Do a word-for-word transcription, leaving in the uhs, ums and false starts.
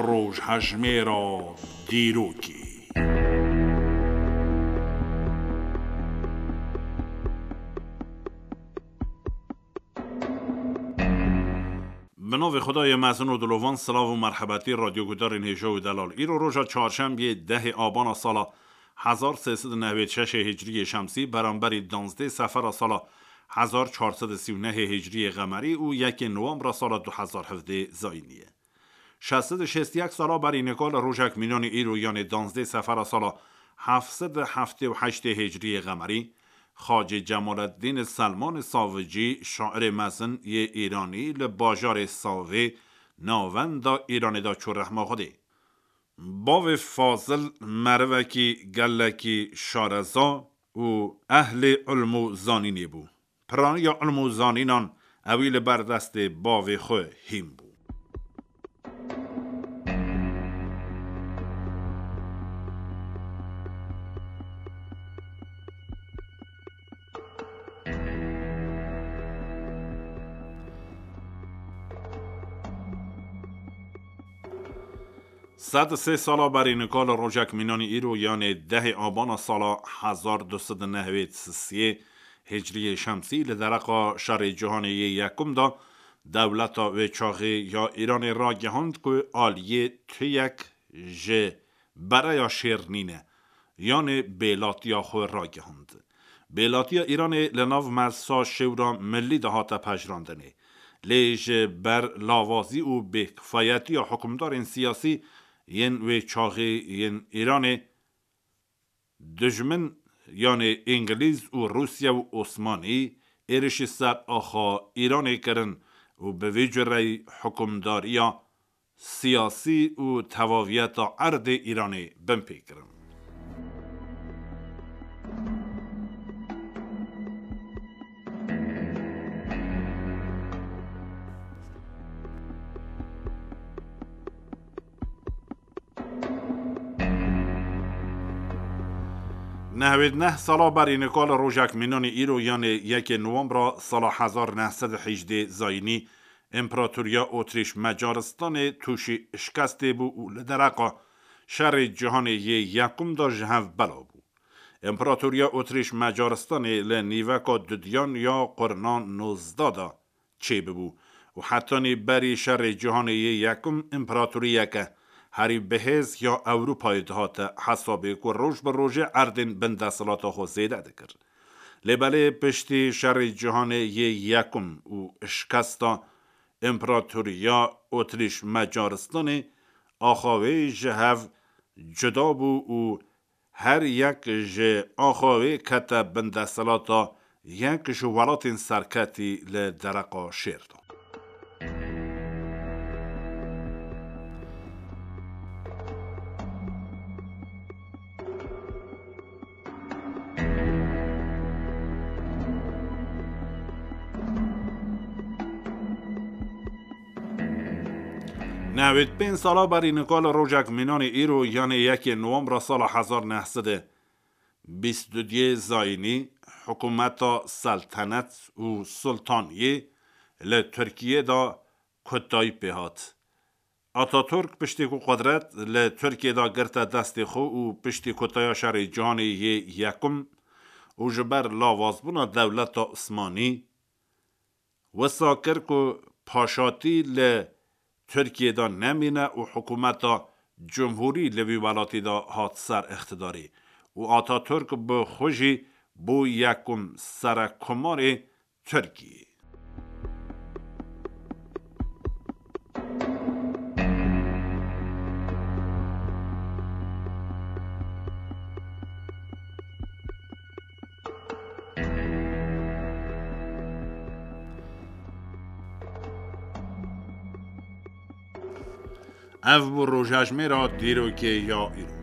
Rojhejmêra dîrokê. Bi navê Xwedayê mezin û dilovan, silav û merhebetî radyogudarên hêja û delal. Îro roja çarşembiyê dehê abana sala hezar sê sed û nehwêd şeşê hicriyê şemsî, beramberî danzdê sefera sala hezar çar sed û sî û nehê hicriyê qemerî û yekê nowembra sala du hezar hevdê zayînî ye. Şeş sed û şêst û yek sala berî nika li rojek mînanî îro, yanê danzdê sefera sala heft sed û heftê û heştê hicriyê qemerî, Xacê Cemaleddîn Selmanê Savicî, şairê mezin yê Îranî, li bajarê Savê, navenda Îranê de çû rehma Xwedê. Bavê Fazil merivekî gelekî şareza û ehlê ilm û zanînê bû. Piraniya ilm û zanînan ewî li ber destê bavê xwe hîn bû. Sed û sê sala berî nika li rojek mînanî îro, yanê dehê abana sala hezar du sed û nehwêd sisiyê hicriyê şemsî, li dereqa şerê cîhanê yê yekum de dewleta wê çaxê ya Îranê ragihand ku aliyê tuyek ji bereya şêr nîne, yanê bêlatiya xwe ragihand. Bêlatiya Îranê li nav Meclisa Şêwra Milî de hate pejirandinê. Lê ji ber lawazî û bêkifayetiya hukimdarên siyasî yên wê çaxê yên Îranê, dijmin, yanê Îngilîz û Rûsya û Osmanî, êrişî ser axa Îranê kirin û bi vî cureyî hukimdariya siyasî û tevaviyeta erdê Îranê binpê kirin. Nehwêd neh sala berî nika li rojek mînanî îro, yanê yekê nowembra sala hezar neh sed û hejdê zayînî, Împaratoriya Otrîş Macaristanê tûşî şikestê bû û li dereqa şerê cîhanê yê yekum de ji hev bela bû. Împaratoriya Otrîş Macaristanê li nîveka dudiyan ya qurna nozdeh de çêbibû û hetanî berî şerê cîhanê yê yekum împaratoriyeke herî bihêz ya Ewropayê dihate hesabê ku roj bi rojê erdên bin desthilata xwe zêde dikir. Lê belê piştî şerê cîhanê yê yekum û şikesta Împaratoriya Otrîş Macaristanê, axa wê ji hev cuda bû û her yek ji axa wê kete bin desthilata yek ji welatên serketî li dereqa şêr de. Nehwêd pênc sala berî nika li rojek mînanê îro, yanê yekê nowembra sala hezar neh sed û bîst û duyê zayînî, hikûmeta seltenet û sultaniyê li Tirkiyê de kotayî pê hat. Ataturk piştî ku qudret li Tirkiyê de girte destê xwe û piştî kotaya şerê cîhanê yê yekum û ji ber lawazbûna dewleta Osmanî, wisa kir ku paşatî li Tirkiyê de nemîne û hikûmeta cumhûrî li vî welatî de hat ser îqtidarê û Ataturk bi xwe jî bû yekum serekkomarê Tirkiyê. Ev bû rojhejmêra dîrokê ya îro.